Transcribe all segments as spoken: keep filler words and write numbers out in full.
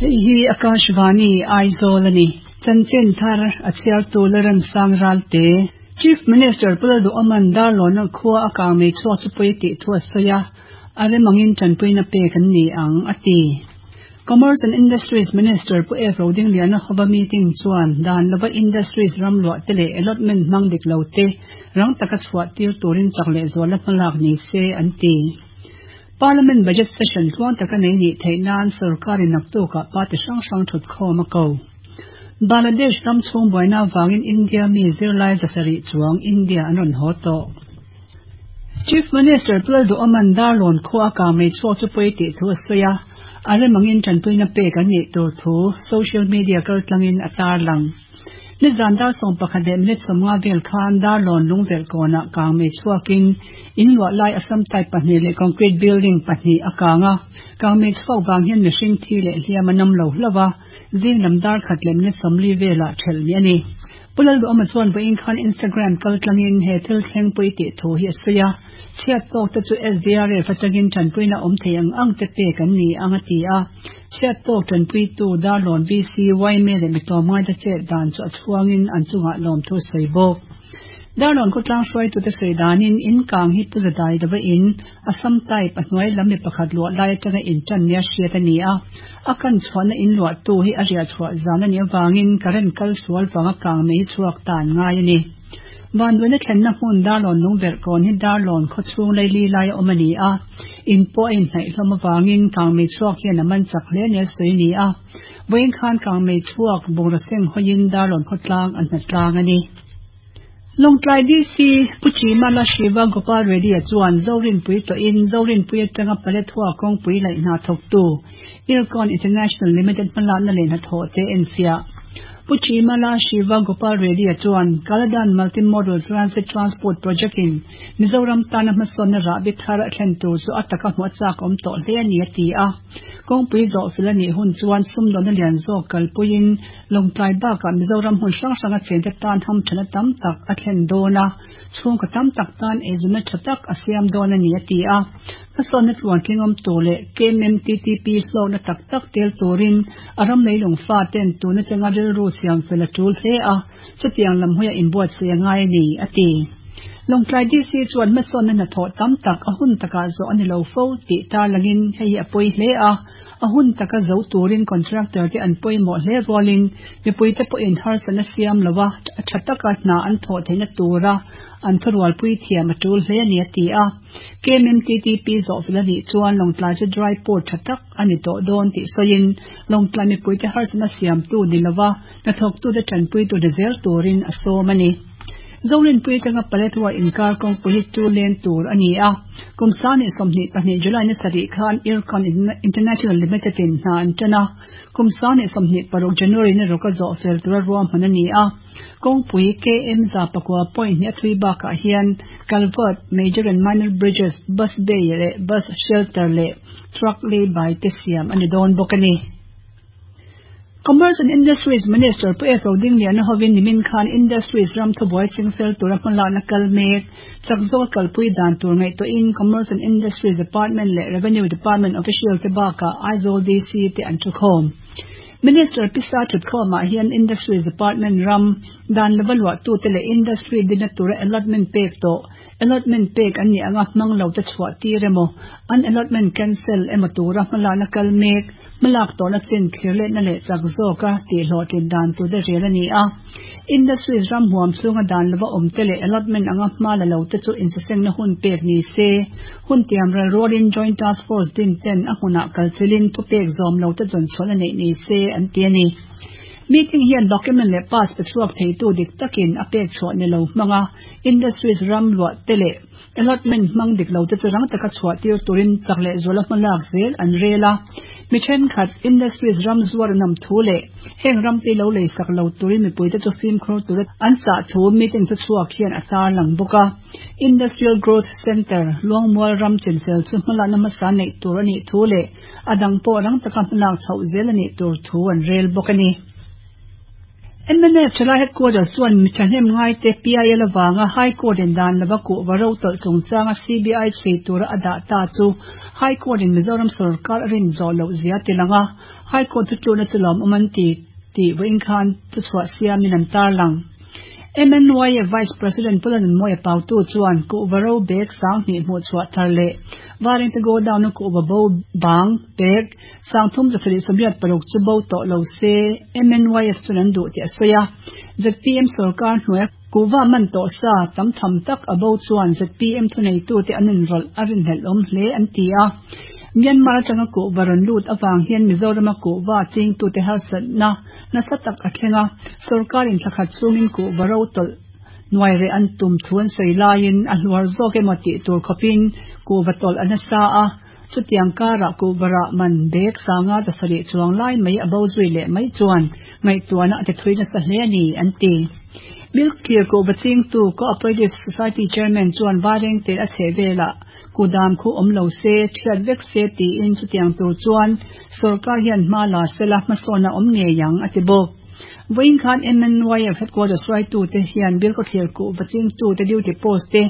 Hei hi Akashvani Aizawl ani. Chanchin thar a chhiar tu Lalremsang Ralte. Chief Minister Pu Lalduhoma'n Darlawn khua a kang mei chhuak chu pawi tih thu a sawi a, a remangin tanpuina pek an ni ang a ti. Commerce and Industries Minister Pu F Rodingliana hova meeting chuan dan lova Industries ram luah te leh allotment hmang dik lo te rang taka chhuah tir turin chak leh zuala hmalak ni se an ti. Parliament Budget Session tluang taka nei nih theih nan sarkarin naktukah party hrang hrang thut khawm a ko. Bangladesh ram chhung buaina wangin India mi zirlai zasarih chuang India an rawn haw tawh. Chief Minister Pu Lalduhoma'n Darlawn khua a kang mei chhuak chu pawi tih thu a sawi a, a remangin tanpuina pek an nih tur thu social media kaltlangin a tarlang. Nizan dar sawm pakhat leh minute sawmnga vel khan Darlawn lungverh kawnah kang mei chhuakin in luah lai Assam type pahnih leh concrete building pahnih a kang a, kang mei chhuak vang hian mihring thi leh hliam a nam lo hlauh a, zing lam dar khat leh minute sawmli velah thelh ni a ni. Pu Lalduhoma chuan vawiin khan Instagram kaltlangin he thil thleng pawi tih thu hi a sawi a, chhiat tawk te chu S D R F atangin tanpuina awm thei ang ang te pek an ni ang a ti a, chhiat tawk tanpuitu Darlawn V C Y M A leh mitawm ngai te chet dan chu a chhuangin an chungah lawm thu sawi bawk. Darlawn khawtlang hruaitu te sawi danin in kang hi pu zadai lova in Assam type a hnuai lam mi pakhat luah lai atanga in tan nia hriat a ni a, a kan chhuahna in luah tu hi a riah chhuah zan ani awangin current kal sual wanga kang mei chhuak tan ngai ani. Vanduaina thlenna hmun Darlawn lungverh kawn hi Darlawn khawchhung leili lai a awm ani a, in pawh a inhnaih hlawm awangin kang mei chhuak hian a man chak hle nia sawi ni a, vawiin khan kang mei chhuak bungraw seng hawiin Darlawn khawtlang an hnatlang ani. Lawngtlai D C Pu Chimala Shiva Gopal Reddy a chuan Zorinpui tawhin Zorinpui atanga Paletwa kawngpui laih hna thawktu Ircon International Limited hmalakna leh hnathawh te enfiah. Pu Chimala Shiva Gopal Reddy a chuan Kaladan Multimodal Transit Transport Project in Mizoram tana hmasawnna rahbi thar a thlen tur chu a taka hmu a chak awm tawh hle ani a ti a. Kawngpui zawh fel anih hun chuan sumdawnna lian zawk kalpuiin Lawngtlai bakah Mizoram hmun hrang hrang a chen te tan hamthana tam tak a thlen dawn a, chhungkaw tam tak tan eizawnna tha tak a siam dawn ani a ti a. Hmasawnna tluan tlingawm tur leh K M M T T P hlawkna tak tak tel turin a ram leilung fa ten tuna tanga rilru siam fel a tul hle a, chutiang lam hawia inbuatsaih a ngai ani a ti. Lawngtlai D C chuan hmasawnna hnathawh tam tak a hun takah zawh ani lo fo tih tarlangin hei hi a pawi hle a, a hun taka zo turin contractor te an pawimawh hle rualin mipui te pawhin harsatna siam lova a tha taka hna an thawh theihna tura an thurualpui thiam a tul hle ani a ti a. K M M T T P zawh fel anih chuan Lawngtlai chu dry port tha tak ani tawh dawn tih sawiin Lawngtlai mipui te harsatna siam tu ni lova hnathawktu te tanpui tu ni zel turin a sawm ani. Zorinpui atanga Paletwa inkar kawngpui hi two lane tur ani a, kum sangni sawmhnih pahnih July ni sarih khan Ircon International Limited in hna an tan a, kum sangni sawmhnih paruk January ni rawka zawh fel tura ruahman ani a. Kawngpui K M za pakua point hnih a thui bakah hian culvert, major and minor bridges, bus bay leh bus shelter leh truck lay by te siam ani dawn bawk ani. Commerce and Industries Minister Pu F Rodingliana hovin nimin khan Industries ram thubuai chingfel tura hmalakna kal mek chak zawk kalpui dan tur ngaihtuahin Commerce and Industries Department leh Revenue Department official te bakah Aizawl D C te an thukhawm. Minister Pisa thutkhawmah hian Industries Department ram dan lova luah tu te leh industry dina tura allotment pek tawh allotment pek an ni anga hmang lo te chhuah tir emaw an allotment cancel emaw tura hmalakna kal mek hmalak tawhna chin thlir lehna leh chak zawka tih hlawhtlin dan tur te rel ani a. Industries ram huam chhunga dan lova awm te leh allotment anga hma la lo te chu insasengna hun pek ni se hun tiam ral rualin Joint Task Force din ten a hmunah kalchilin thu pek zawm lo te zawn chhuahna neih ni se an ti ani. Meeting hian document leh pass pe chhuak theitu dik takin a pek chhuah ni lo hmanga Industries ram luah te leh allotment hmang dik lo te chu rang taka chhuah tir turin chak leh zuala hmalak zel an rel a. Mi thenkhat Industries ram zuar nam thu leh heng ram te lo lei sak lo turin mipui te chu fimkhur tura an chah thu meeting chu chhuak hian a tarlang bawk a. Industrial Growth Center Luangmual ram chinfel chu hmalakna hmasa neih tur anih thu leh a dang pawh rang taka hmalak chhoh zel anih tur thu an rel bawk ani. M N F thalai headquarters chuan mi thahnem ngaite P I L awanga High Court in dan lova kuhva ro tawlh chungchanga C B I chhui tura a dah ta chu High Court in Mizoram sorkar a rin zawh loh zia ti lang a, High Court chu tuna chu lawm awm an ti tih vawiin khan thuchhuah siamin an tarlang. M N Y F Vice President Pu Lalnunmawia Pautu chuan kuhva ro bag sanghnih hmuh chhuah thar leh Vairengte godown a kuhva bo bang bag sangthum zasarih sawmriat paruk chu bo tawh lo se M N Y F chuan an duh tih a sawi a. Z P M sorkar hnuaia kuhva man tawh sa tam tham tak a bo chuan Z P M thuneitute an inrawlh a rinhlelh awm hle an ti a. Myanmar atanga kuhva rawn lut awang hian Mizorama kuhva chingtute harsatna nasa tak a thleng a, sorkarin thlakhat chungin kuhva ro tawlh nuai reh an tum thu an sawi laiin a hluar zawk emaw tih tur khawpin kuhva tawlh a nasa a, chutiang karah kuhva rah man bag sanga zasarih chuang lai mai a bo zui leh mai chuan ngaihtuahna a ti thui nasa hle a ni an ti. Bilkhawthlir kuhva chingtu Cooperative Society Chairman chuan Vairengte a chheh velah kudam khu awm lo se, thiat vek se tiin chutiang tur chuan sorkar hian hma la sela hmasawn a awm ngei ang a ti bawk. Vawiin khan M N Y F headquarters hruaitute hian Bilkhawthlir kuhva chingtute duty post te,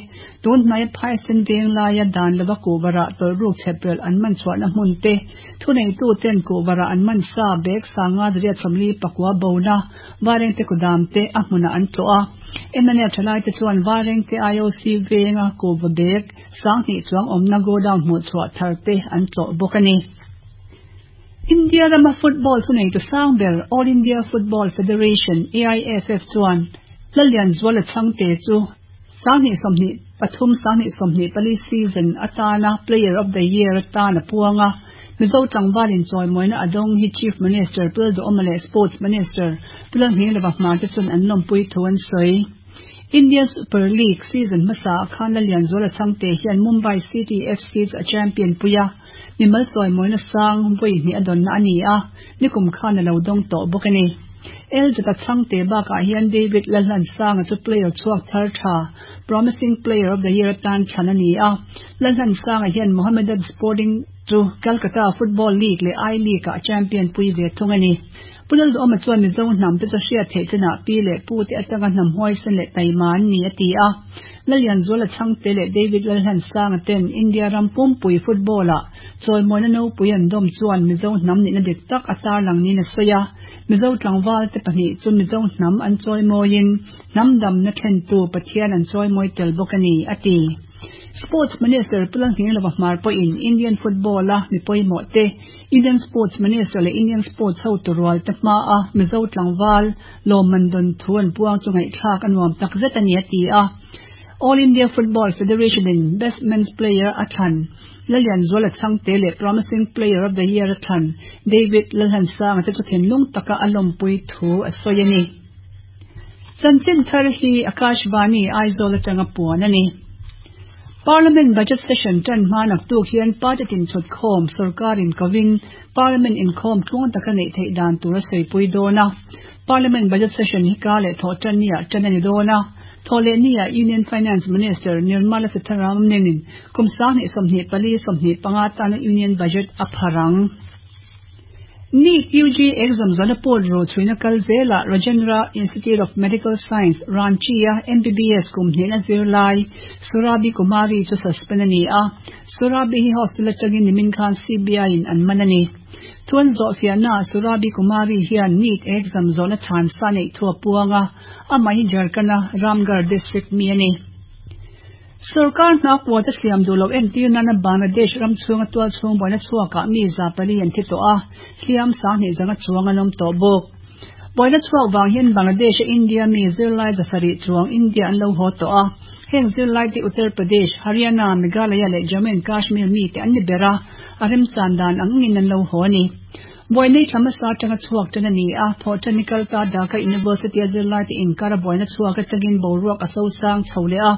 tun hnaia Phaisen veng laia dan lova kuhva rah tawlh ruk chheprelh an man chhuahna hmun te, thuneituten kuhva rah an man sa bag sanga zariat sawmli pakua bona Vairengte kudam te a hmunah an tlawh a. M N F thalaite chuan Vairengte I O C venga kuhva bag sanghnih chuang awmna godown hmuh chhuah thar te an tlawh bawk a ni. India rama football thuneitu sang ber All India Football Federation A I F F chuan Lallianzuala Chhangte chu sanghnih sawmhnih pathum sanghnih sawmhnih pali season atana Player of the Year atana puanga. Mizo tlangvalin chawimawina a dawng hi Chief Minister Pu Lalduhoma leh Sports Minister Pu Lalnghinglova Hmar te chuan an lawmpui thu an sawi. Indian Super League season hmasa khan Lallianzuala Chhangte hian Mumbai City F C chu a champion puia, mimal chawimawina sang vawi hnih a dawnna a ni a, nikum khan a lo dawng tawh bawk a ni. L Z Chhangte bakah hian David Lalhlansanga chu player chhuak thar tha Promising Player of the Year atan thlan a ni a. Lalhlansanga hian Mohammedan Sporting chu Calcutta Football League leh I League ah champion pui ve thung a ni. Pu Lalduhoma chuan Mizo hnam te chu hriat theih chinah pi leh pu te atanga hnam huaisen leh taima an ni a ti a. Lallianzuala Chhangte leh David Lalhlansanga ten India ram pumpui football ah chawimawina nopui an dawm chuan Mizo hnam nihna dik tak a tarlang niin a sawi a. Mizo tlangval te pahnih chu Mizo hnam an chawimawiin hnam damna thlentu Pathian an chawimawi tel bawk a ni a ti. Sports Minister Pu Lalnghinglova Hmar pawhin Indian football a mi pawimawh te, Indian Sports Minister leh Indian Sports hotu rual te hma a Mizo tlangval lawmman dawn thu an puang chu ngaihthlak a nuam tak zet a ni a ti a. All India Football Federation in Best Men's Player a thlan Lallianzuala Chhangte leh Promising Player of the Year a thlan David Lalhlansanga te chu thinlung taka a lawmpui thu a sawi a ni. Chanchin thar hi Akashvani Aizawl atanga puan a ni. Parliament budget session tan hma naktuk hian party tin thut khawm sarkarin kovin Parliament inkhawm tluang taka nei thei dan tur a sawi dawn a. Parliament budget session hi ka leh thaw tan nia tan ani dawn a. Thawhlehni ah Union Finance Minister Nirmala Sitharaman kum sanghnih sawmhnih pali sawmhnih panga tana Union Budget a pharang. NEET U G exam zona pawt ro chhuina kal zela Rajendra Institute of Medical Science Ranchi a M B B S kum hnihna zirlai Surabi Kumari chu suspend ani a. Surabi hi hostel atangin nimin khan C B I in an man ani. Thuan zawh fiahna Surabi Kumari hian NEET exam zawhna chhan sa nei thu a puanga, amah hi Jharkhand a Ramgarh district mi ani. Sarkar hna quota siam duh lo entir nana Bangladesh ram chhunga tual chhung buaina chhuakah mi za pali an thi tawh a, hliam sanghnih zanga chuang an awm tawh bawk. Buaina chhuak vang hian Bangladesh a India mi zirlai zasarih chuang India an lo haw tawh a. Heng zirlai te Uttar Pradesh, Haryana, Meghalaya leh Jammu and Kashmir mi te an ni ber a, a remchan dan angin an lo haw ani. Buaina thlamasa atanga chhuak tan ani a. Thawhṭan kalta Dhaka University a zirlai te inkar a buaina chhuak atangin boruak a so sang chho leh a.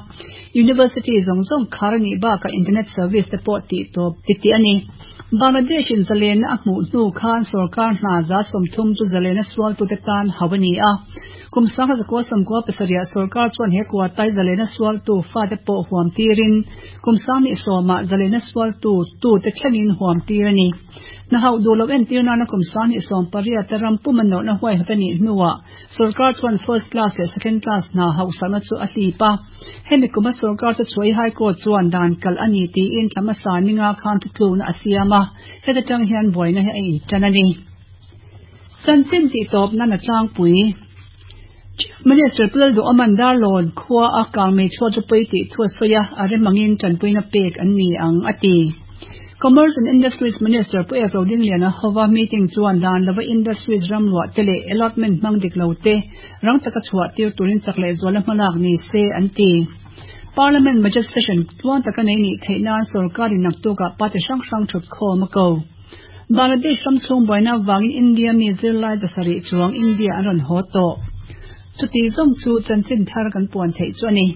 University zawng zawng khar ani bakah internet service te pawh tih tawp ti ti ani. Bangladesh in zalena a hmuh hnu khan sarkar hna za sawmthum chu zalena sual tu te tan hau ani a. Kum sangha zakua sawmkua pasarih sarkar chuan he quota zalena sual tu fa te pawh huam tirin kum sanghnih sawmah zalena sual tu tu te thlengin huam tir ani. Na hau du lo entir na na kum san hi som pariat ram puman no na huai hatani nuwa sarkar chuan first class le second class na hau sana chu a hli pa hemi kuma sarkar chu chuai high court chuan dan kal ani ti in thlama sa ninga khan thu tlu na asiama heta tang hian boina hi a in chanani chanchin ti top na na tlang pui Chief Minister Pulal do Amandar Lord khua a kang me chua chu pui ti thua soya are mangin chan puina pek an ni ang ati Commerce and Industries Minister Pu F Roding Liana hova meeting chuan dan lova industries ramlua tele allotment mang dik lo te rang taka chhuah tir turin chakle zuala hmalak ni se an ti Parliament budget session tuan taka nei ni theina sarkari naktuka pate sang sang thut kho ma ko Bangladesh ram chung boina wangin India mi zirlai zasari chuang India an ron ho to chuti zong chu chanchin thar kan puan thei chu ani.